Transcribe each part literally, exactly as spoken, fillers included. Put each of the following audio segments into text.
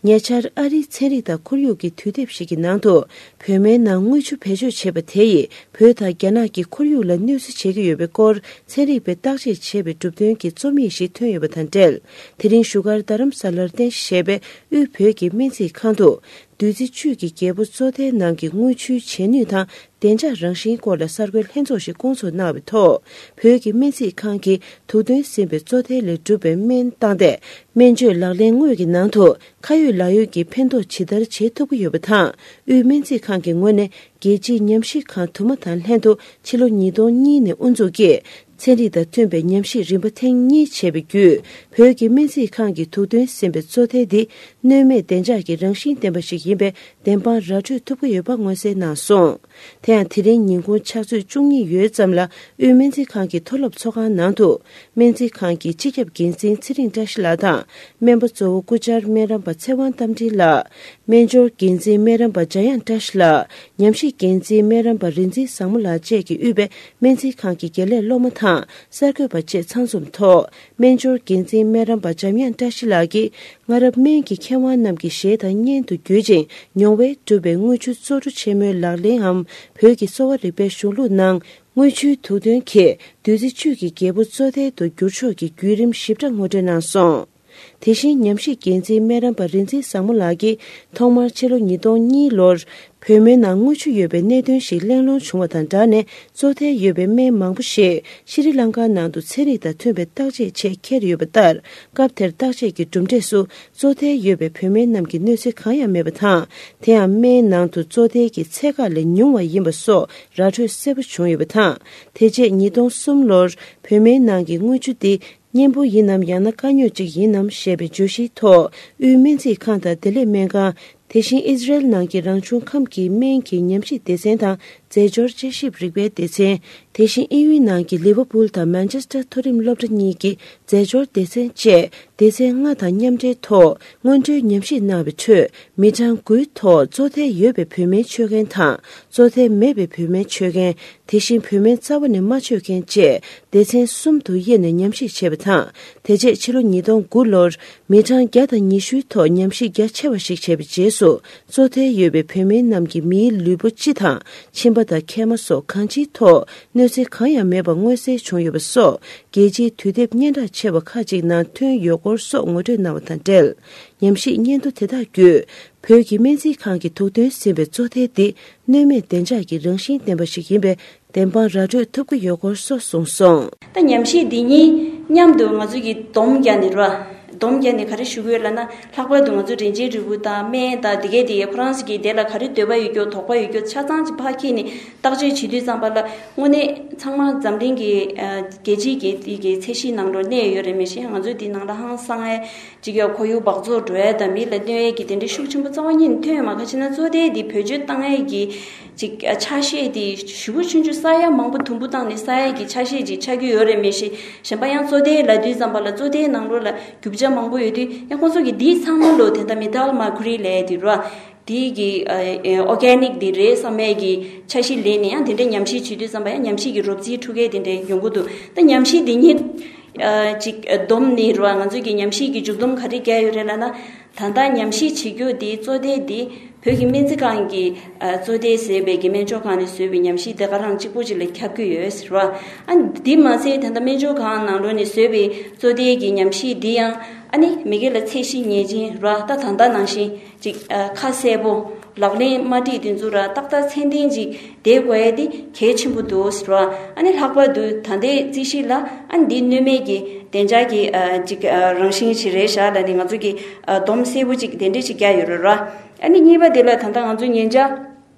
ཉེ་ཆར་ཨ་རིའི་ཚན་རིག་དང་ཁོར་ཡུག་གི་དུས་དེབ་ཞིག་གི་ནང་དུ། བོད་སྨན་ནང་དངུལ་ཆུ་བེད་སྤྱོད་བྱས་པ་དེ་ཡིས་བོད་དང་རྒྱ་ནག་གི་ཁོར་ཡུག་ལ་གནོད་འཚེ་བྱེད་ཀྱི་ཡོད་པའི་སྐོར་ཚན་རིག་པས་བརྟག་དཔྱད་བྱས་པའི་གྲུབ་དོན་གྱི་རྩོམ་ཡིག་ཞིག་ཐོན་ཡོད་པ་དང་འབྲེལ། དེ་རིང་བཞུགས་སྒར་རྡ་རམ་ས་ལར་རྟེན་གཞི་བྱས་པའི་དབུས་བོད་ཀྱི་སྨན་རྩིས་ཁང་དུ། བདུད་རྩི་བཅུད་ཀྱི་རྒྱལ་པོ་བཙོ་ཐལ་ནང་གི་དངུལ་ཆུའི་བྱེད་ནུས་དང་བདེ་འཇགས་རང་བཞིན་སྐོར་ལ་གསར་འགོད་ལྷན་ཚོགས་ཤིག་བསྐོང་ཚོགས་གནང་བའི་ཐོག་བོད་ཀྱི་སྨན་རྩིས་ཁང་གིས་དུག་འདོན་ཟིན་པའི་བཙོ་ཐལ་ལས་གྲུབ་པའི་སྨན་བཏང་སྟེ། སྨན་བཅོས་ལག་ལེན་དངོས་ཀྱི་ནང་དུ་ཁ་ཡོད་ལག་ཡོད་ཀྱི་ཕན་ཐོགས་ཇི་ལྟར་བྱེད་ཐུབ་ཀྱི་ཡོད་པ་དང་། དབུས་སྨན་རྩིས་ཁང་གི་ངོས་ནས་རྒྱལ་སྤྱིའི་ཉམས་ཞིབ་ཁང་དུ་མ་དང་ལྷན་དུ་ཕྱི་ལོ་ཉིས་སྟོང་གཉིས་ནས་དབུ་འཛུགས་ཀྱིས། ཚན་རིག་དང་མཐུན་པའི་ཉམས་ཞིབ་རིམ་པ་ཐེངས་གཉིས་བྱས་པའི་བརྒྱུད། བོད་ཀྱི་སྨན་རྩིས་ཁང་གིས་དུག་འདོན་ཟིན་པའི་བཙོ་ཐལ་འདི་གནོད་མེད་བདེ་འཇགས་ཀྱི་རང་བཞིན་ལྡན་པ་ཞིག་ཡིན་པའི་བདེན་དཔང་ར་སྤྲོད་ཐུབ་ཀྱི་ཡོད་པ་མངོན་གསལ་གནང་སོང་། དེ་ཡང་དེ་རིང་ཉིན་གུང་ཕྱག་ཚོད་བཅུ་གཉིས་ཡོལ་ཙམ་ལ་དབུས་སྨན་རྩིས་ཁང་གི་མཐོ་སློབ་ཚོགས་ཁང་ནང་དུ། སྨན་རྩིས་ཁང་གི་སྤྱི་ཁྱབ་འགན་འཛིན་ཚེ་རིང་བཀྲ་ཤིས་ལགས་དང་། སྨན་པ་གཙོ་བོ་སྐུ་བཅར་སྨན་རམས་པ་ཚེ་དབང་རྟ་མགྲིན་ལགས། སྨན་སྦྱོར་འགན་འཛིན་སྨན་རམས་པ་འཇམ་དབྱངས་བཀྲ་ཤིས་ལགས། ཉམས་ཞིབ་འགན་འཛིན་སྨན་རམས་པ་རིག་འཛིན་བཟང་མོ་ལགས་བཅས་ཀྱིས་དབུས་པའི་སྨན་རྩིས་ཁང་གི་དགེ་ལས་སློབ་མ་དང་གསར་འགོད་པ་བཅས་ཚང་འཛོམས་ཐོག་སྨན་སྦྱོར་འགན་འཛིན་སྨན་རམས་པ་འཇམ་དབྱངས་བཀྲ་ཤིས་ལགས་ཀྱིས། སྔ་རབས་སྨན་གྱི་མཁས་དབང་རྣམས་ཀྱི་ཞལ་དང་སྙན་དུ་བརྒྱུད་ཅིང་མྱོང་བས་གྲུབ་པའི་དངུལ་ཆུ་བཙོ་བཀྲུ་ཆེན་མོའི་ལག་ལེན་འམ། བོད་ཀྱི་གསོ་བ་རིག་པའི་གཞུང་ལུགས་ནང་དངུལ་ཆུའི་དུག་འདོན་གྱིས་བདུད་རྩི་བཅུད་ཀྱི་རྒྱལ་པོ་བཙོ་ཐལ་དུ་འགྱུར་ཕྱོགས་ཀྱི་བརྒྱུད་རིམ་ཞིབ་ཕྲ་ངོ་སྤྲོད་གནང་སོང་། དེ་བཞིན་ཉམས་ཞིབ་འགན་འཛིན་སྨན་རམས་པ་རིག་འཛིན་བཟང་མོ་ལགས་ཀྱིས་ཐོག་མར་ཕྱི་ལོ་ཉིས་སྟོང་གཉིས་ལོར་བོད་སྨན་ནང་དངུལ་ཆུ་ཡོད་པའི་གནད་དོན་ཞིག་གླེང་སློང་བྱུང་བ་དང་སྦྲགས་ནས། བཙོ་ཐལ་ཡོད་པའི་སྨན་མང་པོ་ཞིག་ཤྲི་ལང་ཀ་ནང་དུ་ཚན་རིག་དང་མཐུན་པའི་བརྟག་དཔྱད་ཆེད་འཁྱེར་ཡོད་པ་ལྟར། སྐབས་དེར་བརྟག་དཔྱད་ཀྱི་གྲུབ་འབྲས་སུ་བཙོ་ཐལ་ཡོད་པའི་བོད་སྨན་རྣམས་ཀྱི་གནོད་འཚེ་གང་ཡང་མེད་པ་དང་། དེ་ཡང་སྨན་ནང་དུ་བཙོ་ཐལ་གྱི་ཚད་བཀག་ལས་ཉུང་བ་ཡིན་པ་སོགས་ར་འཕྲོད་གསལ་པོ་བྱུང་ཡོད་པ་དང་། དེ་རྗེས་ཉིས་སྟོང་གསུམ་ལོར་བོད་སྨན་ནང་གི་དངུལ་ཆུ་དེ། གཉེན་པོ་ཡིན་ནམ་ཡང་ན་དཀའ་རྙོག་ཅིག་ཡིན་ནམ་ཞེས་པའི་བརྗོད་གཞིའི་ཐོག་དབུས་སྨན་རྩིས་ཁང་དང་བདེ་ལེགས་སྨན་ཁང་། དེ་བཞིན་ཨི་ཟི་རེལ་ནང་གི་རང་བྱུང་ཁམས་ཀྱི་སྨན་གྱི་ཉམས་ཞིབ་སྡེ་ཚན་དང་རྫས་སྦྱོར་དཔྱད་ཞིབ་རིག་པའི་སྡེ་ཚན། དེ་བཞིན་དབྱིན་ཡུལ་ནང་གི་ལི་ཝར་པུལ་དང་མན་ཆེ་སྟར་མཐོ་རིམ་སློབ་གྲྭ་གཉིས་ཀྱི་རྫས་སྦྱོར་སྡེ་ཚན་བཅས་སྡེ་ཚན་ལྔ་དང་མཉམ་འབྲེལ་ཐོག་སྔོན་འགྲོའི་ཉམས་ཞིབ་གནང་བའི་ཁྲོད། མི་གྲངས་དགུའི་ཐོག་བཙོ་ཐལ་ཡོད་པའི་བོད་སྨན་མཆོད་མཁན་དང་བཙོ་ཐལ་མེད་པའི་བོད་སྨན་མཆོད་མཁན། དེ་བཞིན་བོད་སྨན་རྩ་བ་ནས་མ་མཆོད་མཁན་བཅས་སྡེ་ཚན་གསུམ་དུ་དབྱེ་ནས་ཉམས་ཞིབ་བྱས་པ་དང་། དེ་རྗེས་ཕྱི་ལོ་ཉིས་སྟོང་དགུ་ལོར་མི་གྲངས་བརྒྱ་དང་ཉི་ཤུའི་ཐོག་ཉམས་ཞིབ་རྒྱ་ཆེ་བ་ཞིག་བྱས་པའི་རྗེས་སུ། བཙོ་ཐལ་ཡོད་པའི་བོད་སྨན་རྣམས་ཀྱིས་མིའི་ལུས་པོ་སྤྱི་དང་མཆིན་པ་དང་མཁལ་མ་སོགས་གང་ཅིའི་ཐོག་གནོད་འཚེ་གང་ཡང་མེད་པ་མངོན་གསལ་བྱུང་ཡོད་པ་སོགས། རྒྱལ་སྤྱིའི་དུས་དེབ་སྙན་གྲགས་ཆེ་བ་ཁག་ཅིག་ནང་ཐོན་ཡོད་སྐོར་སོགས་ངོ་སྤྲོད་གནང་བ་དང་འབྲེལ། ཉམས་ཞིབ་སྙན་ཐོ་དེ་དག་བརྒྱུད། བོད་ཀྱི་སྨན་རྩིས་ཁང་གི་དུག་འདོན་ཟིན་པའི་བཙོ་ཐལ་འདི་གནོད་མེད་བདེ་འཇགས་ཀྱི་རང་བཞིན་ལྡན་པ་ཞིག་ཡིན་པའི་བདེན་དཔང་ར་སྤྲོད་ཐུབ་ཀྱི་ཡོད་སྐོར་སོགས་གསུངས་སོང་། ད་ཉམས་ཞིབ་འདི་གཉིས་མཉམ་དུ་ང་ཚོ་གིས་སྡོམ་བརྒྱབ་ནས་ར། སྡོམ་བརྒྱབ་ནས་ག་རེ་ཞུ་གི་ཡོད་ལབ་ན། ལྷག་པར་དུ་ང་ཚོ་རིན་ཆེན་རིལ་བུ་དང་སྨན་དང་དེ་གས་དེ་ཁོ་རང་ཚོ་གིས་དེ་ལ་ག་རེ་འདོད་པ་ཡོད་རྒྱུ་དོགས་པ་ཡོད་རྒྱུ་ཆ་ཚང་ཅིག་ཕར་འཁྱེར་ནས་བརྟག་དཔྱད་བྱེད་དུས་ཙམ་པ་ལ། དངོས་གནས་ཚང་མ་འཛམ་གླིང་གི་ཨ་རྒྱལ་སྤྱིའི་གི་དེ་གི་ཚད་གཞིའི་ནང་ལོགས་གནས་ཡོད་རེད། མི་ཤེས། ང་ཚོ་འདི་ནང་ལ་ཧང་སང་ཨེ། ཅིག་ཡང་ཁོར་ཡུག་འབག་བཙོག་འགྲོ་ཡ་དང་མི་ལ་གནོད་ཡ་གི་དེ་འདྲའི་ཤུགས་ཆེན་པོ་རྩ་བ་ཉིད་ནས་ཐོན་ཡོད་མ་རེད། ག་ཅི་ན་བཙོ་ཐལ་འདི་བེད་སྤྱོད་བཏང་ཡ་གི་ཅིག་ཆ་ཤས་དེ་ཞེ་པོ་ཆུང་ཆུང་ས་ཡ་མང་པོ་དུམ་བུ་བཏང་ནས་ས་ཡ་གི་ཆ་ཤས་ཅིག་ཆགས་ཀྱི་ཡོད་རེད། མི་ཤེས། གཞན་པ་ཡང་བཙོ་ཐལ་ལབ་དུས་ཙམ་པ་ལ་བཙོ་ཐལ་ནང་ལོགས་ལ་རྒྱུ་ཆ་མང་པོ་ཡོད་དུས། ཡང་ཁོང་ཚོ་གིས་འདི་ཚང་མ་ལོ་དེ་འདྲ་མེ་ཊལ་མར་ཁུ་རི་ལབ་ཡ་དེ་ར། དེ་གི་ཨོར་གེ་ནིག་དེ་རེད་བསམ་ཡས་ཀྱི་ཆ་ཤས་ལེན་ནས་ཡང་དེ་འདྲའི་ཉམས་ཞིབ་བྱེད་དུས་ཙམ་པ་ཡང་ཉམས་ཞིབ་ཀྱི་རོབ་རྩིས་འཕྲུལ་སྐད་དེ་འདྲའི་ཡོང་གི་འདུག་ད་ཉམས་ཞིབ་དེ་ཉིད་ཅིག་བསྡོམས་ནས་རེད་བ། ང་ཚོས་ཀྱི་ཉམས་ཞིབ་ཀྱི་མཇུག་བསྡོམས་ག་རེ་བརྒྱབ་ཡོད་རེད་ལབ་ན། ད་ལྟ་ཉམས་ཞིབ་བྱེད་རྒྱུ་དེ་བཙོ་ཐལ་དེ་བོད་ཀྱི་སྨན་རྩིས་ཁང་གི་བཙོ་ཐལ་ཟེར་བའི་གི་སྨན་སྦྱོར་ཁང་ནས་བཟོས་པའི་ཉམས་ཞིབ་དེ་ག་རང་གཅིག་པོ་ཅིག་ལ་ཁྱབ་ཀྱི་ཡོད་ཟེར་བ། ཨ་འདི་མ་ཟད་ད་ལྟ་སྨན་སྦྱོར་ཁང་ནང་ལོགས་ནས་བཟོས་པའི་བཙོ་ཐལ་གྱི་ཉམས་ཞིབ་འདི་ཡང་ཨ་ནི་མི་སྒེར་ལ་ཚད་གཞི་ངེས་ཅན་རེད་བ། ད་ད་ལྟ་ནང་བཞིན། ཅིག་ཨ་ཁ་གསལ་པོ་ལག་ལེན་མ་བྲིས་དེ་ཚོ་ར་ཏག་ཏག་ཚད་ལྡན་ཅིག་བསྡད་དགོས་ཡ་དེ་གལ་ཆེན་པོ་འདུག་ཟེར་བ། ཨ་ནི་ལྷག་པར་དུ་ད་ལྟའི་རྩིས་གཞི་ལ་ཨ་ནི་འདི་གནོད་མེད་ཀྱི་བདེ་འཇགས་ཀྱི་ཨ་ཅིག་ཨ་རང་བཞིན་ཞིག་རེད་ཤག་ལབ་ནས་ང་ཚོ་གི་ཨ་སྡོམ་གསལ་པོ་ཅིག་དེ་འདྲས་ཅིག་བརྒྱབ་ཡོད་རེད་ར། ཨ་ནི་གཉིས་པ་དེ་ལ་ད་ལྟ་ང་ཚོ་ཉེ་ཆར་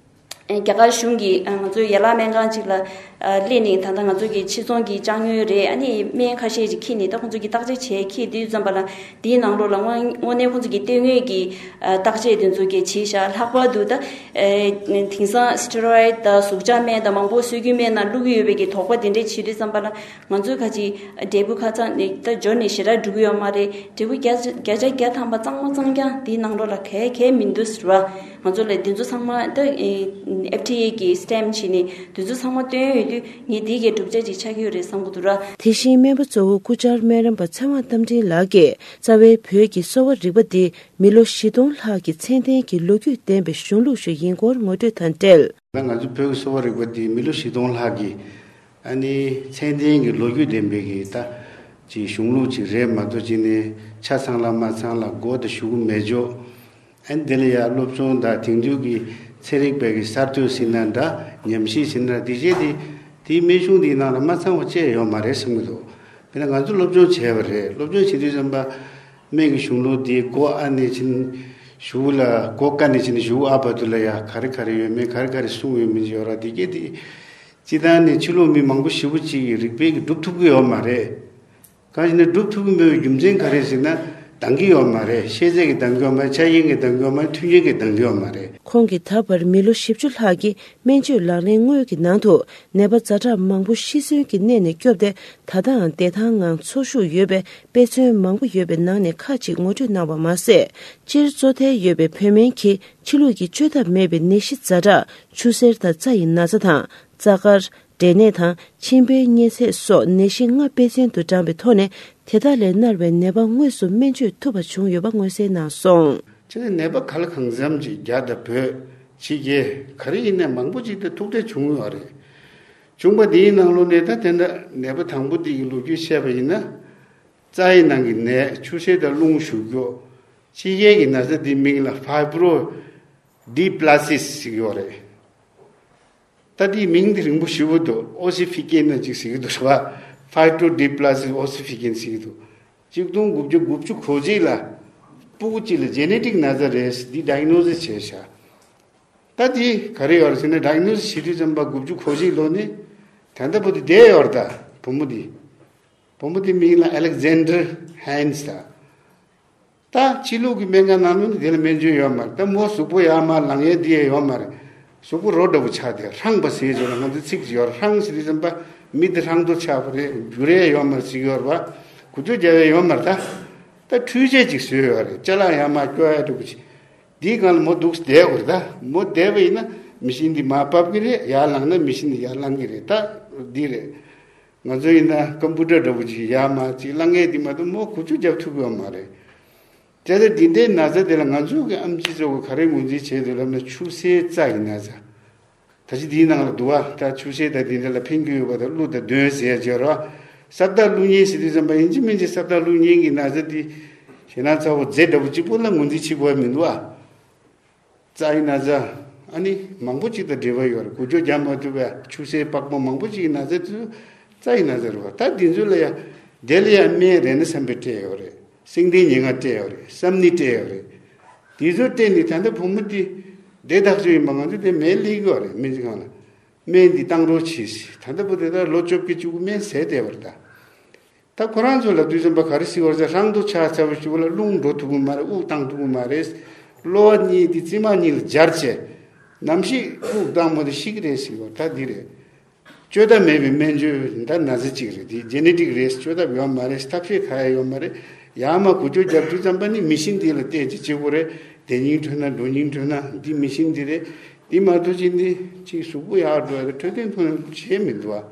རྒྱ་གར་གཞུང་གིས་ཨ་ང་ཚོའི་ཡན་ལག་སྨན་ཁང་ཅིག་ལ། ཨ་སླེབས་ནས་ད་ལྟ་ང་ཚོ་གི་ཕྱི་ཚོང་གི་ཅ་དངོས་རེད། ཨ་ནི་སྨན་ཁ་ཤས་ཅིག་འཁྱེར་ནས་ད་ཁོང་ཚོ་གི་བརྟག་དཔྱད་བྱས་འཁྱེར་དུས་ཙམ་པ་ལ་དེའི་ནང་ལོགས་ལ་དངོས་དངོས་གནས་ཁོང་ཚོ་གི་སྟོད་ངོས་ཀྱི་ཨ་བརྟག་དཔྱད་དེ་ཚོ་གི་བྱས་ཤག་ལྷག་པར་དུ་ད་ཨེ་དེང་སང་སི་ཊི་རོ་ཡིཌ་དང་གཟུགས་འཇགས་སྨན་དང་མང་པོ་སྲོལ་རྒྱུན་སྨན་ནང་བླུགས་ཀྱི་ཡོད་པའི་གི་དོགས་པ་དེ་འདྲས་བྱེད་དུས་ཙམ་པ་ལ་ང་ཚོའི་ཁ་ཅིག་འབྲས་བུ་ཁ་ཚང་ནས་ད་འབྱོར་ནས་ཞེ་དྲག་འགྲོ་གི་ཡོད་མ་རེད། འབྲས་བུ་བརྒྱ་ཆ་བརྒྱ་ཆ་བརྒྱ་ཐམ་པ་གཙང་མ་གཙང་རྐྱང་དེའི་ནང་ལོགས་ལ་གལ་གལ་མི་འདུག་ཟེར་བ། ང་ཚོ་ལ་དེ་ཚོ་ཚང་མ་ད་ཨེ། ཨེཕ་ཌི་ཨེ་གི་སི་ཊེམ་བྱས་ནས་དེ་ཚོ་ཚང་མ་བཏོན་ཡོད་དུས་ངས་དེ་གའི་གྲུབ་ཆ་ཅིག་ཆགས་ཀྱི་ཡོད་རེད་བསམ་གྱི་འདུག་ར། དེ་བཞིན་སྨན་པ་གཙོ་བོ་སྐུ་བཅར་སྨན་རམས་པ་ཚེ་དབང་རྟ་མགྲིན་ལགས་ཀྱིས་རྩ་བའི་བོད་ཀྱི་གསོ་བ་རིག་པ་འདི་མི་ལོ་བཞི་སྟོང་ལྷག་གི་ཚད་ལྡན་གྱི་ལོ་རྒྱུས་ལྡན་པའི་གཞུང་ལུགས་ཤིག་ཡིན་སྐོར་ངོ་སྤྲོད་དང་འབྲེལ། ད་ང་ཚོ་བོད་ཀྱི་གསོ་བ་རིག་པ་འདི་མི་ལོ་བཞི་སྟོང་ལྷག་གི་ཨ་ནི་ཚད་ལྡན་གྱི་ལོ་རྒྱུས་ལྡན་པའི་གི་ད་ཅིག་གཞུང་ལུགས་ཅིག་རེད་མ་གཏོགས་ཅིག་ནས་ཆ་ཚང་ལ་མ་ཚང་ལ་མགོ་དང་གཞུག་གུ་མེད་འཇོག་ཨ་ནི་དེ་ལ་ཡང་སློབ་སྦྱོང་དང་དེང་དུས་ཀྱི་ཚན་རིག་པའི་གི་གསར་གཏོད་ཟེར་ན་འདྲ། ཉམས་ཞིབ་ཟེར་ན་འདྲ། དེ་བྱས་ཏེ་དེའི་སྨན་གཞུང་འདིའི་ནང་ལ་མ་ཚང་བ་ཅི་ཡང་ཡོད་མ་རེད་བསམ་གྱི་འདུག་དཔེར་ན་ང་ཚོ་སློབ་སྦྱོང་བྱས་པ་རེད། སློབ་སྦྱོང་བྱེད་དུས་ཙམ་པ་སྨན་གྱི་གཞུང་ལུགས་འདི་མགོ་ཨ་ནས་ཕྱིན་གཞུག་ལ་མགོ་ཀ་ནས་ཕྱིན་གཞུག་ཨ་བར་དུ་ལ་ཡ་ག་རེ་ག་རེ་ཡོད་མེད་ག་རེ་ག་རེ་གསུངས་ཡོད་མེད་ཡོད་ར། དེ་གས་དེ་སྤྱི་བཏང་ནས་ཕྱི་ལོགས་མི་མང་པོ་ཞེ་པོ་ཅིག་གིས་རིག་པའི་གི་སྒྲུབ་ཐུབ་ཀྱི་ཡོད་མ་རེད། གང་ཞིག་ནས་སྒྲུབ་ཐུབ་ཀྱི་མེད་པའི་རྒྱུ་མཚན་ག་རེ་ཟེར་ན་འདང་གི་ཡོད་མ་རེད། ཤེས་ཚད་ཀྱིས་འདང་གི་ཡོད་མ་རེད། ཆ་རྐྱེན་གྱིས་འདང་གི་ཡོད་མ་རེད། མཐུན་རྐྱེན་གྱིས་འདང་གི་ཡོད་མ་རེད། ཁོང་གིས་ད་བར་མི་ལོ་བཞི་བཅུ་ལྷག་གི་སྨན་བཅོས་ལག་ལེན་དངོས་ཀྱི་ནང་དུ་ནད་པ་ཛ་དྲག་མང་པོ་ཤི་གསོན་གྱི་གནས་ནས་སྐྱོབ་སྟེ་ད་ལྟའང་བདེ་ཐང་ངང་འཚོ་བཞུགས་ཡོད་པའི་དཔེ་མཚོན་མང་པོ་ཡོད་པའི་ནང་ནས་ཁག་ཅིག་ངོ་སྤྲོད་གནང་བ་མ་ཟད། སྤྱིར་གཙོ་ཐལ་ཡོད་པའི་བོད་སྨན་གྱིས་ཕྱི་ལུགས་ཀྱི་བཅོས་ཐབས་མེད་པའི་ནད་གཞི་ཛ་དྲག་ཆུ་སེར་དང་རྩ་ཡི་ན་ཚ་དང་། རྩ་དཀར། འབྲས་ནད་དང་མཆིན་པའི་གཉན་ཚད་སོགས་ནད་གཞི་ལྔ་དཔེ་མཚོན་དུ་བགྲངས་པའི་ཐོག་ནས་དེ་དག་ལས་མནར་བའི་ནད་པ་དངོས་སུ་སྨན་བཅོས་ཐུབ་པ་བྱུང་ཡོད་པ་མངོན་གསལ་གནང་སོང་། སྤྱིར་ནད་པ་ག་ལ་གང་འཚམ་ཅིག་རྒྱ་དང་བོད་ཕྱི་རྒྱལ་ག་རེ་ཡིན་ནའི་མང་པོ་ཅིག་ཏུ་ཐུག་འཕྲད་བྱུང་ཡོད་རེད། བྱུང་བ་དེའི་ནང་ལོགས་ནས་ད་དེ་འདྲ་ནད་པ་དང་པོ་དེ་གི་ལོ་རྒྱུས་བཤད་པ་ཡིན་ན། རྩ་ཡི་ནང་གི་ནད་ཆུ་སེར་དང་རླུང་ཞུགས་རྒྱུ། ཕྱི་རྒྱལ་གྱི་ན་ཚ་དེའི་མིང་ལ་ཕའི་བྷི་རོ་ཌི་པི་ལ་སི་སི་ཟེར་གྱི་ཡོད་རེད། ད་དེའི་མིང་དེ་རིང་པོ་ཞེ་པོ་འདུག་ཨོ་སི་ཕི་ཀེན་ན་ཅིག་ཟེར་གྱི་འདུག་རེད་པ། ཕའི་བྷི་རོ་ཌི་པི་ལ་སི་ཨོ་སི་ཕི་ཀེན་ཟེར་གྱི་འདུག་གཅིག་སྟོང་དགུ་བརྒྱ་དགུ་བཅུ་གོ་གཅིག་ལ་སྤུ་གུ་གཅིག་ལ་ཇེ་ནེ་ཊིག་ན་ཚ་རེད་འདི་ཌའི་གནོ་སིས་བྱས་ཤག་ད་དེ་ག་རེ་ཡོད་རེད་ཟེར་ན། ཌའི་གནོ་སིས་བྱེད་དུས་ཙམ་པ་དགུ་བཅུ་གོ་གཅིག་ལོ་ནས་ད་ལྟ་བར་དུ་བསྡད་ཡོད་རེད། ད་བུ་མོ་དེ་བུ་མོ་དེ་མིང་ལ་ཨ་ལེག་ཛན་ཌར་ཧན་སི་ད། ད་ཕྱི་ལུགས་ཀྱི་སྨན་ཁང་ནང་ལོགས་ནས་དེ་ལ་སྨན་བཅོས་ཡོད་མ་རེད། ད་མོ་གཟུགས་པོ་ཡར་མར་ལངས་ཡས་དེ་ཡས་ཡོད་མ་རེད། གཟུགས་པོ་རོ་འདྲ་པོ་ཆགས་ཏེ་ཧྲང་པ་ཟེར་ཅིག་ལ་ང་ཚོ་ཚིག་ཅིག་ཡོད་རེད། ཧྲང་ཟེར་དུས་ཙམ་པ་མི་དེ་ཧྲང་ཏོ་ཆགས་པ་རེད། འགྱུར་ཡས་ཡོད་མ་རེད་ཟེར་གྱི་ཡོད་རེད་པ། འགུལ་སྐྱོད་རྒྱག་ཡས་ཡོད་མ་རེད། ད་ད་འཕྲུལ་ཆས་ཅིག་བཟོས་ཡོད་རེད། ཅ་ལག་ཡར་མར་སྐྱོར་ཡས་འདྲ་པོ་ཅིག་དེའི་སྒང་ལ་མོ་འདུག་བསྡད་དགོས་རེད། ད་མོ་བསྡད་པ་ཡིན་ན་མི་ཤིན་འདི་མར་ཕབ་ཀྱི་རེད། ཡར་ལངས་ན་མི་ཤིན་འདི་ཡར་ལངས་ཀྱི་རེད། ད་འདི་རེད། ང་ཚོ་ཡིན་ན་ཀམ་པུ་ཊར་འདྲ་པོ་ཅིག་ཡར་མར་ཅིག་ལངས་ཡས་འདི་མ་གཏོགས་མོ་འགུལ་སྐྱོད་རྒྱབ་ཐུབ་ཀྱི་ཡོད་མ་རེད། དེ་ལྟར་འདི་འདྲའི་ན་ཚ་དེ་ལ་ང་ཚོ་གི་ཨེམ་ཆི་ཚོ་གིས་ག་རེ་ངོས་འཛིན་བྱས་འདུག་ལབ་ན་ཆུ་སེར་རྩ་ཡི་ན་ཚ། ད་ཅི་འདིའི་ནང་ལ་འདུག་བ། ད་ཆུ་སེར་དང་འདི་འདྲ་ལ་ཕན་གྱི་ཡོད་པ་དང་ཀླུ་དང་གདོན་ཟེར་ཡ་ཅིག་ཡོད་རེད་བ། ས་བདག་ཀླུ་གཉན་ཟེར་དུས་ཙམ་པ་ཡིན་གཅིག་མིན་གཅིག་ས་བདག་ཀླུ་གཉན་གྱི་ན་ཚ་འདི་ཞེད་སྣང་ཚ་པོ་རྫས་འདྲ་པོ་གཅིག་པོ་ལ་ངོས་འཛིན་བྱེད་དགོས་པ་མི་འདུག་བ། རྩ་ཡི་ན་ཚ་ཨ་ནི་མང་པོ་ཅིག་དང་འབྲེལ་བ་ཡོད་རེད། འགུལ་སྐྱོད་རྒྱག་མ་ཐུབ་པའི་ཆུ་སེར་པགས་པ་མང་པོ་ཅིག་གི་ན་ཚ་དེ་ཚོ་རྩ་ཡི་ན་ཚ་རེད་བ། ད་འདི་ཚོ་ལ་ཡ་དེ་ལ་ཡ་སྨན་རེ་ན་སམ་པེ་སྤྲད་ཡོད་རེད། སེང་ལྡེང་ཉེར་ལྔ་སྤྲད་ཡོད་རེད། སམ་ནི་སྤྲད་ཡོད་རེད། དེ་ཚོ་སྤྲད་ནས་ད་ལྟ་བུ་མོ་དེ་བདེ་ཐག་ཆོད་ཡིན་པ་ང་ཚོ་དེ་སྨན་ལེན་གྱི་ཡོད་རེད། སྨན་རྩིས་ཁང་ལ་སྨན་འདི་བཏང་རོགས་གྱིས། ད་ལྟ་བུ་དེ་ད་ལོ་བཅོ་བརྒྱད་བཅུ་དགུ་སྨན་ཟས་བསྡད་པ་རེད་ད། ད་ཁོ་རང་ཚོ་ལབ་དུས་ཙམ་པ་ག་རེ་ཟེར་བ་ཟེར། ཧྲང་ཏོ་ཆགས་ཚར་བ་ཞིག་ལ་རླུང་འགྲོ་ཐུབ་ཀྱི་མ་རེད། དབུགས་བཏང་ཐུབ་ཀྱི་མ་རེད། གློ་བ་གཉིས་དེ་རྩེ་མོ་གཉིས་ལ་སྦྱར་བྱས་ནམ་ཞིག་དབུགས་བཏང་མ་ཐུབ་ཤི་གི་རེད་ཟེར་བ། ད་འདི་རེད། བཅོས་ཐབས་མེད་པའི་སྨན་བཅོས་འདི་ན་ཚ་གཅིག་རེད། འདི་ཇེ་ནེ་ཊིག་རེད། བཅོས་ཐབས་ཡོད་མ་རེད། ཐབས་ཤེས་ག་ཡ་ཡོད་མ་རེད། ཡར་མར་འགུལ་སྐྱོད་རྒྱབ་དུས་ཙམ་པ་ནི་མི་ཤིན་འདི་ལ་བལྟས་ཅིག་བྱེད་དགོས་རེད། བསྡད་སྙིང་འདོད་ན་འགྲོ་སྙིང་འདོད་ན་འདི་མི་ཤིན་འདི་རེད། འདི་མ་གཏོགས་ཅིག་འདི་ཅིག་གཟུགས་པོ་ཡར་འགྲོ་ཡ་དང་འཕྲོད་བསྟེན་ཐོག་ནས་བྱས་མི་འདུག་ཨ།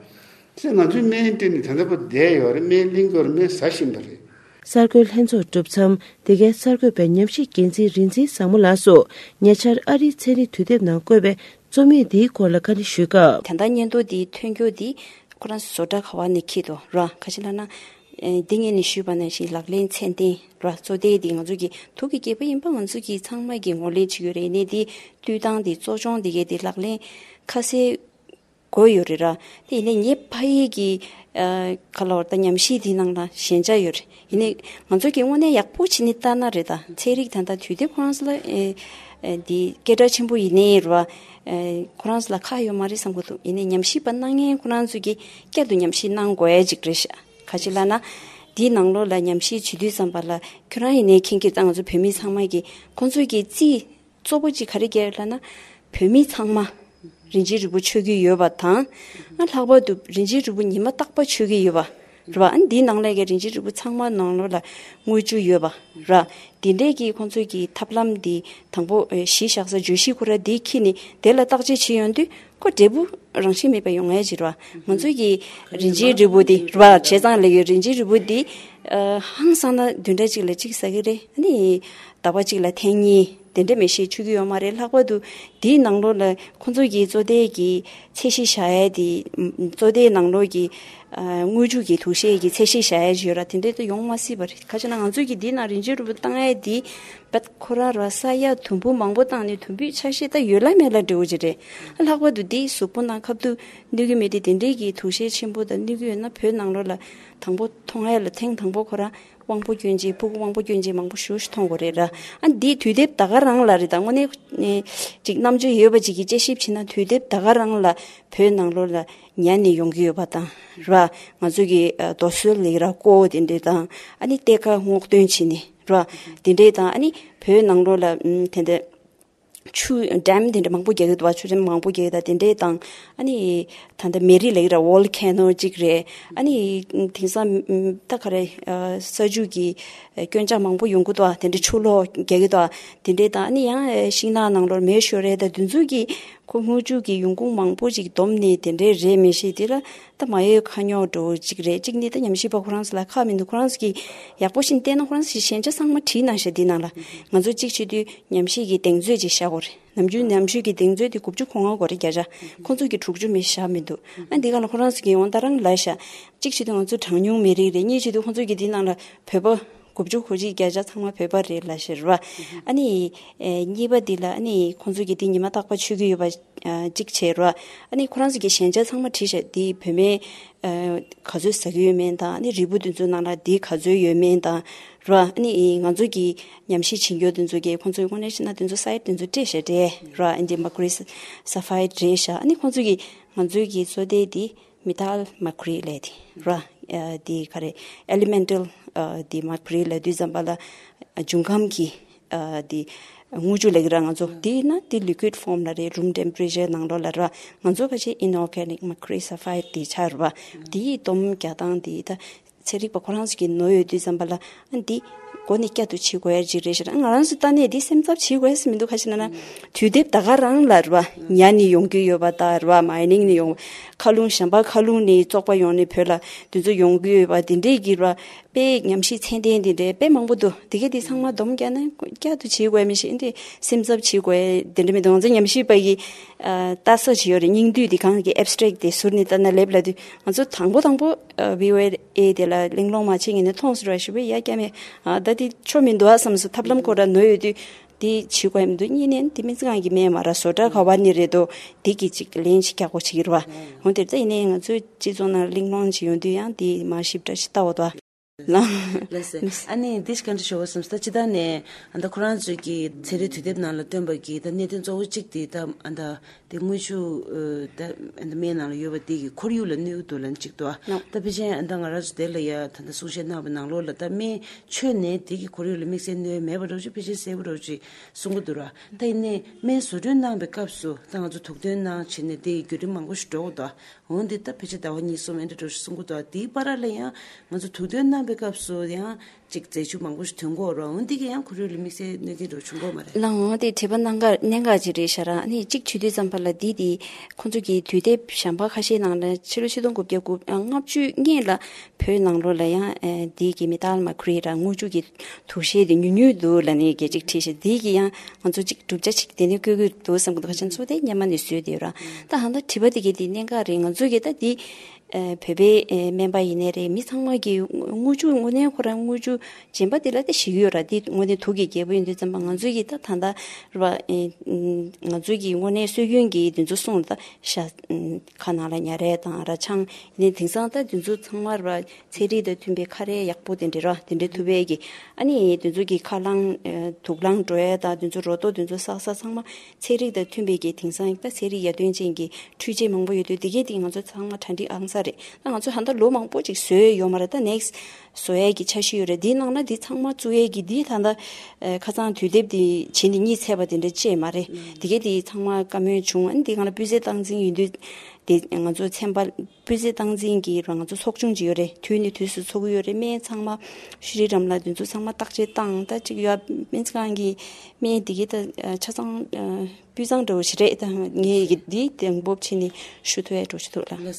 ཟེར་ང་ཚོའི་སྨན་སྤྲད་ནས་ད་ལྟ་བར་བསྡད་ཡོད་རེད། སྨན་ལེན་དགོས་རེད། སྨན་ཟ་བཞིན་པ་རེད། གསར་འགོད་ལྷན་ཚོགས་གྲུབ་མཚམས། འདི་གའི་གསར་འགོད་པས་ཉམས་ཞིབ་འགན་འཛིན་རིག་འཛིན་བཟང་མོ་ལགས་སུ་ཉེ་ཆར་ཨ་རིའི་ཚན་རིག་དུས་དེབ་ནང་བཀོད་པའི་རྩོམ་ཡིག་འདིའི་སྐོར་ལ་བཀའ་འདྲི་ཞུས་སྐབས། ད་ལྟ་སྙན་ཐོ་འདི་ཐོན་རྒྱུ་འདི་ཁོ་རང་བཟོ་གྲྭ་ག་བ་ནས་འཁྱེར་འདུག་ར། ག་ཅི་ལབ་ན། ཨེ། འདི་ངས་ནས་ཞུས་པ་ནང་བཞིན་ལག་ལེན་ཚད་ལྡན་ར། གཙོ་དོན་འདི་ང་ཚོ་གི་དུག་གི་རྒྱལ་པོ་ཡིན་པ་ང་ཚོ་གི་ཚང་མ་གི་ངོས་ལེན་བྱེད་ཀྱི་ཡོད་རེད། ཡིན་ནའི་འདི་བཏུས་སྟངས་འདི་གཙོ་སྐྱོང་འདི་གའི་འདི་ལག་ལེན་ཁ་གསལ་དགོས་ཡོད་རེད་ར། དེ་ཡིན་ནའི་ངའི་ཕ་ཡུལ་གྱི་ཨ་ག་ལབ་དགོས་རེད། ད་ཉམས་ཞིབ་འདིའི་ནང་ལ་ཞན་ཆ་ཡོད་རེད། ཡིན་ནའི་ང་ཚོ་གི་དངོས་གནས་ཡག་པོ་བྱས་ནས་ལྟ་ན་རེད། ད་ཚན་རིག་ད་ལྟ་དུས་དེབ་ཁོ་རང་ཚོ་ལ་ཨེ་ཨེ་འདི་སྐད་གྲགས་ཆེན་པོ་ཡིན་ནའི་རེད་བ། ཨེ་ཁོ་རང་ཚོ་ལ་ཁག་ཡོད་མ་རེད་བསམ་གྱི་འདུག་ཡིན་ནའི་ཉམས་ཞིབ་པ་གནང་མཁན་ཁོ་རང་ཚོ་གིས་བསྐྱར་དུ་ཉམས་ཞིབ་གནང་དགོས་ཡ་ཅིག་རེད་ཤག་ག་ཅི་ལབ་ན། འདིའི་ནང་ལོགས་ལ་ཉམས་ཞིབ་བྱེད་དུས་ཙམ་པ་ལ་ཁྱོད་རང་ཡིན་ནའི་མཁྱེན་གྱི་རེད། ད་ང་ཚོ་བོད་མི་ཚང་མ་གིས་ཁོང་ཚོ་གིས་རྩིས་གཙོ་བོ་གཅིག་ག་རེ་བརྒྱབ་ལབ་ན། བོད་མི་ཚང་མ་རིན་ཆེན་རིལ་བུ་མཆོད་ཀྱི་ཡོད་པ་དང་། ཨ་ལྷག་པར་དུ་རིན་ཆེན་རིལ་བུ་ཉི་མ་རྟག་པར་མཆོད་ཀྱི་ཡོད་པ། རེད་བ། ཨ་ནི་འདིའི་ནང་ལ་གི་རིན་ཆེན་རིལ་བུ་ཚང་མ་ནང་ལོགས་ལ་དངུལ་ཆུ་ཡོད་པ་ར། དེ་འདྲས་ཀྱི་ཁོང་ཚོས་ཀྱི་ཐབས་ལམ་འདི་དང་པོ་ཨེ་གཞི་བཞག་ས་བརྗོད་གཞི་ཁོ་ར་འདི་འཁྱེར་ནས་དེ་ལ་བརྟག་དཔྱད་བྱེད་ཡོང་དུས་ཁོ་འབྲས་བུ་རང་བཞིན་མེད་པ་ཡོང་ངེས་ཅིག་རེད་བ། ང་ཚོས་ཀྱི་རིན་ཆེན་རིལ་བུ་འདི་རེད་བ། བྱས་ཙང་ལ་གི་རིན་ཆེན་རིལ་བུ་འདི་ཨ་ཧང་སང་ན་བདུན་ཕྲག་གཅིག་ལ་གཅིག་ཟ་གི་རེད། ཨ་ནི་ཟླ་བ་གཅིག་ལ་ཐེངས་གཉིས་དེ་འདྲ་མི་ཤེས་མཆོད་ཀྱི་ཡོད་མ་རེད། ལྷག་པར་དུ་དེའི་ནང་ལོགས་ལ་ཁོང་ཚོ་གི་བཙོ་ཐལ་གྱི་ཚད་གཞི་བཞག་ཡས་དེ་བཙོ་ཐལ་ནང་ལོགས་ཀྱི་ཨ་དངུལ་ཆུ་གི་དུག་ཤེས་ཀྱི་ཚད་གཞི་བཞག་ཡས་ཡོད་ར། དེ་འདྲ་དུ་ཡོང་མ་སྲིད་པ་རེད། ག་ཅི་ན་ང་ཚོས་ཀྱི་དེའི་ནང་རིན་ཆེན་རིལ་བུ་བཏང་ཡས་དེ་བད་ཁོ་རང་ར་ས་ཡ་དུམ་བུ་མང་པོ་བཏང་ནས་དུམ་བུའི་ཆ་ཤས་ད་ཡོད་ལ་མེད་ལ་འབྲེལ་བ་ཅིག་རེད། ལྷག་པར་དུ་དེའི་གཟུགས་པོ་ནང་ཁ་ཐུག་གནོད་ཀྱི་མེད་དེ་དེ་འདྲའི་གི་དུག་ཤེས་ཆེན་པོ་དང་གནོད་ཀྱི་ཡོད་ན་བོད་ནང་ལོགས་ལ་དང་པོ་མཐོང་ཡས་ལ་ཐེངས་དང་པོ་ཁོ་རང་དབང་པོ་སྐྱོན་ཅན་ཕྲུ་གུ་དབང་པོ་སྐྱོན་ཅན་མང་པོ་ཞེ་པོ་ཅིག་མཐོང་གི་རེད་ར། ཨ་འདིའི་དུས་དེབ་ད་ག་རང་ལ་རེད། ད་དངོས་གནས་ཅིག་རྣམ་དཔྱོད་ཡོད་པ་ཅིག་གིས་དཔྱད་ཞིབ་བྱས་ན་དུས་དེབ་ད་ག་རང་ལ་བོད་ནང་ལོགས་ལ་ཉར་ནས་ཡོང་གི་ཡོད་པ་དང་ར། ང་ཚོ་གི་ཨ་རྡོ་སོལ་ལས་ར་ཀོ་དེ་འདྲས་དང་ཨ་ནི་གཏེར་ཁ་སྔོག་འདོན་བྱས་ནས་ར། དེ་འདྲས་དང་ཨ་ནི་བོད་ནང་ལོགས་ལ་ཨམ་དེ་འདྲ་ཆུ་ཌེམ་དེ་འདྲ་མང་པོ་རྒྱག་གི་འདུག་བ། ཆུ་ཌེམ་མང་པོ་རྒྱག་གི་འདུག་དེ་འདྲས་དང་ཨ་ནི་ད་ལྟ་མེ་རི་ལབ་ཀྱི་ར་ཝོལ་ཁེ་ནོ་གཅིག་རེད། ཨ་ནི་དེང་སང་ད་ག་རེ་ས་ཆུ་གི་སྐྱོན་ཆག་མང་པོ་ཡོང་གི་འདུག་བ། དེ་འདྲ་ཆུ་ལོག་རྒྱག་གི་འདུག་བ། དེ་འདྲས་དང་ཨ་ནི་ཡང་ཤིང་ནགས་ནང་ལོགས་མེ་ཤོར་རེད། ད་དེ་ཚོ་གི་ཁོ་དངུལ་ཆུ་གི་ཡོང་ཁུངས་མང་པོ་ཅིག་བསྡོམས་ནས་དེ་འདྲས་རེད་མི་ཤེས། དེ་ལ་ད་མ་ཡོད་ཁ་ཉོག་འགྲོ་ཅིག་རེད། གཅིག་ནི་ད་ཉམས་ཞིབ་པ་ཁོ་རང་ཚོ་ལ་ཁག་མི་འདུག་ཁོ་རང་ཚོ་གིས་ཡག་པོ་ཞིག་བལྟས་ན་ཁོ་རང་ཚོ་གི་ཞན་ཆ་ཚང་མ་བྲིས་གནང་ཤག་འདི་ནང་ལ། ང་ཚོ་གཅིག་བྱེད་དུས་ཉམས་ཞིབ་ཀྱི་གདེང་ཚོད་ཅིག་བཞག་དགོས་རེད། ནམ་རྒྱུན་ཉམས་ཞིབ་ཀྱི་གདེང་ཚོད་དེ་དགུ་བཅུ་གོ་ལྔ་གོ་རེད་བརྒྱ་ཆ། ཁོང་ཚོ་གིས་དྲུག་ཅུ་མི་བཞག་མི་འདུག་ཨ་འདི་ག་ལ་ཁོ་རང་ཚོ་གིས་ཡང་ད་རང་ལབ་ཤག་གཅིག་བྱེད་དུས་ང་ཚོ་གྲངས་ཉུང་མི་རིགས་རེད། གཉིས་བྱེད་དུས་ཁོང་ཚོ་གིས་འདི་ནང་ལ་བོད་པ་དགུ་བཅུ་གོ་གཅིག་བརྒྱ་ཆ་ཚང་མ་བོད་པ་རེད་ལབ་ཤག་རེད་བ། ཨ་ནི་ཨེ་གཉིས་པ་འདི་ལ་ཨ་ནི་ཁོང་ཚོ་གིས་འདི་ཉི་མ་རྟག་པར་མཆོད་ཀྱི་ཡོད་པ་ཨ་གཅིག་བྱས་རེད་བ། ཨ་ནི་ཁོ་རང་ཚོ་གིས་ཞན་ཆ་ཚང་མ་བྲིས་ཤག་འདི་བོད་སྨན་ཨ་ག་ཚོད་ཟ་གི་ཡོད་མེད་དང་ཨ་ནི་རིལ་བུ་འདི་ཚོའི་ནང་ལ་འདི་ག་ཚོད་ཡོད་མེད་དང་རེད་བ། ཨ་ནི་ང་ཚོ་གིས་ཉམས་ཞིབ་བྱེད་མཁན་འདི་ཚོ་གིས་ཁོང་ཚོས་དངོས་གནས་བྱས་ན་འདི་ཚོ་སའིཌ་འདི་ཚོ་སྤྲད་ཤག་རེད་བ། ཨ་ནི་མར་ཀུ་རི་སལ་ཕའིཌ་རེད་ཤག་ཨ་ནི་ཁོང་ཚོ་གིས་ང་ཚོའི་གི་བཙོ་ཐལ་འདི་མེ་ཊལ་མར་ཀུ་རི་ལབ་དེ་ར། ཨ་དེ་ག་རེ་ཨེ་ལི་མེན་ཊལ་ཨ་དེ་མར་ཀུ་རི་ལབ་དུས་ཙམ་པ་ལ་ཨ་འབྱུང་ཁམས་ཀྱི་ཨ་དེ་དངུལ་ཆུ་ལབ་ཀྱི་ར། ང་ཚོ་དེ་ན་དེ་ལི་ཀུའིཌ་ཕོམ་ལ་རེད། རུམ་ཊེམ་པ་རེ་ཅར་ནང་ལོགས་ལ་ར། ང་ཚོ་ཕལ་ཆེར་ཨིན་ཨོར་གེ་ནིག་མར་ཀུ་རི་སལ་ཕའིཌ་དེ་ཆགས་རེད་བ། དེའི་སྡོམ་རྒྱག་སྟངས་དེ་ད་ཚན་རིག་པ་ཁོ་རང་ཚོ་གིས་ནོར་ཡོད་དུས་ཙམ་པ་ལ་ཨ་འདི་མགོ་ནས་བསྐྱར་དུ་བྱེད་དགོས་ཡ་ཅིག་རེད་ཤག་ང་རང་ཚོ་ལྟ་ནས་འདི་སེམས་འཚབ་བྱེད་དགོས་ཡ་མི་འདུག་ག་ཅི་ན་ན་དུས་དེབ་ད་ག་རང་ལ་རེད་བ། ཉར་ནས་ཡོང་གི་ཡོད་པ་དང་རེད་བ། མའི་ནིང་ནས་ཡོང་། མཁའ་རླུང་གཞན་པ་མཁའ་རླུང་ནས་བཙོག་པ་ཡོང་ནས་བོད་ལ་འདི་ཚོ་ཡོང་གི་ཡོད་པ་འདི་འདྲས་ཀྱི་རེད་བ། དཔེ་ཉམས་ཞིབ་ཚད་ལྡན་འདི་འདྲས་དཔེ་མང་པོ་འདུག་དེ་གས་དེ་ཚང་མ་སྡོམ་རྒྱག་ན་བསྐྱར་དུ་བྱེད་དགོས་མི་ཤེས། འདི་སེམས་འཚབ་བྱེད་དགོས་འདི་འདྲ་མི་འདུག་ང་ཚོ་ཉམས་ཞིབ་པ་ཡི་ཨ་ལྟ་ས་ཅིག་ཡོད་རེད། སྙིང་བསྡུས་འདི་གང་གི་ཨེབ་སི་ཊྲེག་དེ་ཟུར་ནས་ལྟ་ན་ལེབ་ལ་དུས་ང་ཚོ་དང་པོ་དང་པོ་ཨ་བྷི་ཨོ་ཨེ་དེ་ལ་གླེང་སློང་མ་བྱེད་ངེས་ནས་མཐོང་སོང་ར་ཞུ་བས་ཡ་སྐྱ་མེད་ཨ་ད་དེ་ཆོ་མི་འདུག་ཨ་བསམ་སོང་། ཐབས་ལམ་ཁོ་ར་ནོར་ཡོད་དུས་དེ་བྱེད་དགོས་མི་འདུག་གཉིས་ནས་དེ་སྨན་རྩིས་ཁང་གི་སྨན་མ་ར་བཟོ་གྲྭ་ག་བ་ནས་རེད་དོ། དེ་གི་ཅིག་ལན་ཅིག་རྒྱག་དགོས་བྱེད་ཀྱི་རེད་བ། འོན་ཏེ་ད་ཡིན་ནའི་ང་ཚོའི་སྤྱི་ཚོགས་ནང་གླེང་སློང་ཅིག་ཡོང་དུས་ཡང་དེ་མ་ཞིབ་ཕྲ་ཞིག་ལྟ་འོ་དོ། ལགས་སེ། ཨ་ནི་འདི་ཞིག་ག་འདྲ་ཞུ་བ་བསམ་སྟེ་ཅི་ད་ནས་ཨ་ད་ཁོ་རང་ཚོས་ཀྱི་ཚན་རིག་དུས་དེབ་ནང་ལ་བཏོན་པ་གི་ད་གནད་དོན་གཙོ་བོ་གཅིག་དེ་ད་ཨ་ད་དེ་དངུལ་ཆུ་ཨ་ད་ཨ་ད་སྨན་ནང་ལ་ཡོད་པ་དེ་གི་ཁོར་ཡུག་ལ་གནོད་འདུག་ལབ་གཅིག་འདུག་ད་ཕལ་ཆེར་ཨ་ད་ང་རང་ཚོ་དེ་ལ་ཡ་ད་ད་གསུང་བཤད་གནང་བའི་ནང་ལོགས་ལ་ད་སྨན་མཆོད་ནས་དེ་གི་ཁོར་ཡུག་ལ་དམིགས་བསལ་གནོད་མེད་པ་འདྲ་ཅིག་ཕལ་ཆེར་གསལ་པོ་འདྲ་ཅིག་གསུང་གི་འདུག་ར། ད་ཡིན་ནའི་སྨན་བཟོ་སྐྲུན་གནང་བའི་སྐབས་སུ་ད་ང་ཚོ་དུག་འདོན་གནང་བྱས་ནས་དེ་གི་བརྒྱུད་རིམ་མང་པོ་ཞིག་འགྲོ་གི་འདུག་འོན་ཏེ་ད་ཕལ་ཆེར་ཟླ་བ་གཉིས་གསུམ་ཨེ་འདྲ་འགྲོ་ཞིག་གསུང་གི་འདུག་དེའི་བར་ལ་ཡང་ང་ཚོ་དུག་འདོན་གནང་པའི་སྐབས་སུ་ཡང་ཅིག་རྫས་ཆུ་མང་པོ་ཞིག་ཐོན་གྱི་ཡོད་རེད། འོན་ཏེ་གི་ཡང་ཁོར་ཡུག་ལ་དམིགས་བསལ་གནོད་སྐྱོན་འདྲ་བྱུང་གི་ཡོད་མ་རེད། ལགས་འོང་། དེ་དྲི་བ་གནད་འགག་གནད་འགག་ཅིག་རེད་ཤག་ར། ཨ་ནི་གཅིག་བྱེད་དུས་ཙམ་པ་ལ་འདི་དེ་ཁོང་ཚོ་གི་དུས་དེབ་གཞན་པ་ཁ་ཤས་ནང་ལ་ཕྱི་ལོ་ཆིག་སྟོང་དགུ་བརྒྱ་དགུ་ཨ་ལྔ་བཅུ་སྔོན་ལ་བོད་ནང་ལོགས་ལ་ཡང་ཨ་འདི་གི་མེ་ཏལ་མར་ཁུ་རི་ར་དངུལ་ཆུ་གི་དུག་ཤེས་དེ་ཉུང་ཉུང་འདུག་ལབ་ནས་སྐད་ཅིག་བྲིས་ཤག་འདི་གི་ཡང་ང་ཚོ་གཅིག་བསྒྲུབ་བྱ་ཅིག་དེ་ནས་བཀོད་ཀྱི་འདུག་བསམ་གྱི་འདུག་ཁ་ཆེ་ཚོ་དེ་སྔོན་མ་ནས་བཟོས་བསྡད་ཡོད་ར། ད་ཧང་ད་དྲི་བ་དེ་གི་དེ་གནད་འགག་རེད། ང་ཚོ་གི་ད་འདི་ཨ་བོད་པའི་ཨ་སྨན་པ་ཡིན་ནའི་རེད། མི་ཚང་མ་གི་དངུལ་ཆུ་དངོས་གནས་ཁོ་རང་དངུལ་ཆུ་སྦྱིན་པ་དེ་ལ་ད་ཞེད་ཀྱི་ཡོད་ར། དེ་དངོས་གནས་དུག་གི་རྒྱལ་པོ་ཡིན་དུས་ཙམ་པ་ང་ཚོ་གི་ད་ད་ལྟ་ར་ཨ་ང་ཚོ་གི་དངོས་གནས་སྲོལ་རྒྱུན་གྱི་དེ་ཚོ་སྲུང་ད་ཤ་ཁ་ནང་ལ་ཉ་རལ་དང་ར་ཆང་ཡིན་ནའི་དེང་སང་ད་དེ་ཚོ་ཚང་མ་ར་ཚན་རིག་དང་མཐུན་པའི་ཁ་རས་ཡག་པོ་དེ་འདྲ་ར་དེ་འདྲ་ཐུབ་པའི་གི་ཨ་ནི་དེ་ཚོ་གི་ཁ་རླངས་ཨ་དུག་རླངས་འགྲོ་ཡ་དང་དེ་ཚོ་རོ་ཏོ་དེ་ཚོ་བསགས་ས་ཚང་མ་ཚན་རིག་དང་མཐུན་པའི་གི་དེང་སང་ད་ཚན་རིག་ཡར་ཐོན་ཅན་གྱི་འཕྲུལ་ཆས་མང་པོ་ཡོད་དུས་དེ་གས་དེ་ང་ཚོ་ཚང་མ་གྲ་སྒྲིག་ཨང་ས་རེད། ད་ང་ཚོ་ད་ལྟ་ལོ་མང་པོ་ཅིག་བཟོས་ཡོད་མ་རེད། ད་ནེག་སི་བཟོ་ཡས་ཀྱི་འཆར་གཞི་ཡོད་རེད། འདིའི་ནང་ན་འདི་ཚང་མ་བཙུགས་ཡས་ཀྱི་འདི་ད་ལྟ་ཨ་ཁ་སང་དུས་དེབ་འདི་བྱིན་ནས་གཉིད་ཚད་པ་དེ་འདྲ་ཅིག་མ་རེད། དེ་གས་དེ་ཚང་མ་བཀའ་མོལ་བྱུང་། ཨ་ནི་འདི་སྒང་ལ་སྤུས་ཚད་སྟངས་འཛིན་ཡིན་དུས་ དེ་ང་ཚོ་ཚན་པ་སྤུས་ཚད་སྟངས་འཛིན་གྱི་རང་ཚོ་ཚོགས་ཆུང་ཅིག་ཡོད་རེད། དུས་ནས་དུས་སུ་ཚོགས་ཀྱི་ཡོད་རེད། སྨན་ཚང་མ་ཤུ་རི་རམ་ལ་དེ་ཚོ་ཚང་མ་བརྟག་དཔྱད་བཏང་། ད་ཅིག་ཡོད་སྨན་རྩིས་ཁང་གི་སྨན་དེ་གི་ད་ཆ་ཚང་སྤུས་གཙང་འདྲ་བོ་ཞིག་རེད། ད་ངས་ཡི་གེ་འདི་དེ་འབོབ་བྱས་ནས་ཞུ་ཐུབ་ཡ་འགྲོ་ཞུ་ཐུབ་ལ།